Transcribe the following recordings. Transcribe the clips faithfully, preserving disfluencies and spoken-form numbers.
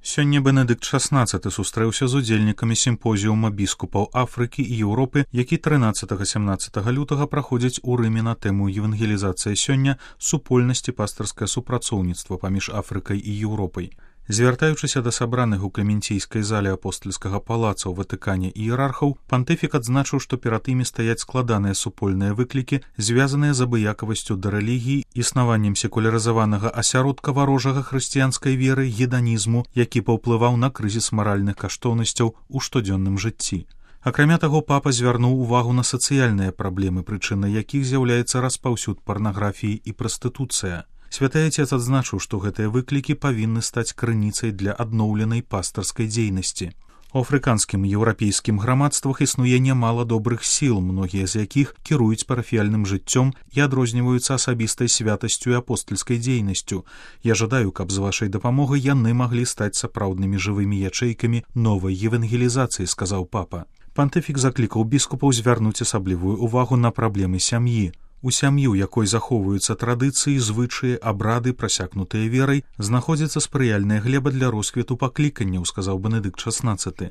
Сёння Бенедыкт шаснаццаты сустрэўся з удзельнікамі сімпозіума біскупаў Афрыкі і Еўропы, які трынаццатага-сямнаццатага лютага праходзіць у Рыме на тэму евангелізацыя сёння, супольнасці пастырскае супрацоўніцтва паміж Афрыкай і Еўропай. Звяртаючыся да сабраных у Клементійскай зале апостальскага палаца ў Ватыкане іерархаў, пантыфік адзначыў, што перад імі стаяць складаныя супольныя выклікі, звязаныя з абыякавасцю да рэлігіі, існаваннем секулярызаванага асяродка варожага хрысціянскай веры, геданізму, які паўплываў на крызіс маральных каштоўнасцяў у штодзённым жыцці. Акрамя таго, папа звярнуў увагу на сацыяльныя праблемы, прычынай якіх з'яўляецца распаўсюд парнаграфіі і прастытуцыя. Святы Отец адзначыў, што гэтыя выклікі павінны стаць крыніцай для адноўленай пастырскай дзейнасці. У афрыканскім і еўрапейскім грамадствах існуе нямала добрых сіл, многія з якіх кіруюць парафіяльным жыццём і адрозніваюцца асабістай святасцю і апостальскай дзейнасцю. Я жадаю, каб з вашай дапамогай яны маглі стаць сапраўднымі жывымі ячэйкамі новай евангелізацыі, сказаў папа. Пантыфік заклікаў біскупаў звярнуць асаблівую увагу на праблемы сям'і. У сям'ю, якой захоўваюцца традыцыі, звычаі, абрады, прасякнутыя верай, знаходзіцца спрыяльная глеба для росквіту пакліканняў, сказаў Бенедыкт шаснаццаты.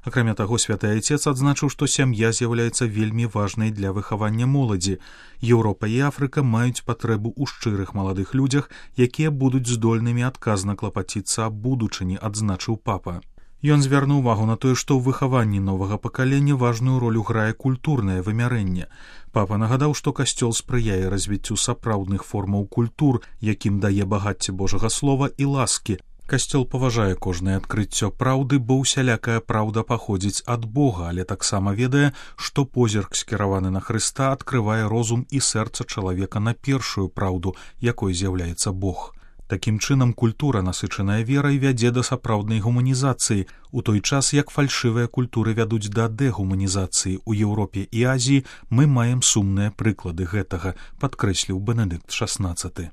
Акрамя таго, святы Отец адзначыў, што сям'я з'яўляецца вельмі важнай для выхавання моладзі. Еўропа і Афрыка маюць патрэбу ў шчырых маладых людзях, якія будуць здольнымі адказна клапаціцца аб будучыні, адзначыў папа. Ён звярнуў увагу на тое, што ў выхаванні новага пакалення важную ролю грае культурнае вымярэнне. Папа нагадаў, што касцёл спрыяе развіццю сапраўдных формаў культур, якім дае багацце Божага слова і ласкі. Касцёл паважае кожнае адкрыццё праўды, бо ўсялякая праўда паходзіць ад Бога, але таксама ведае, што позірк, скіраваны на Хрыста, адкрывае розум і сэрца чалавека на першую праўду, якой з'яўляецца Бог. Такім чынам, культура, насычаная верай, вядзе да сапраўднай гуманізацыі, у той час як фальшывыя культуры вядуць да дэгуманізацыі. У Еўропе і Азіі мы маем сумныя прыклады гэтага, падкрэсліў Бенедыкт шаснаццаты.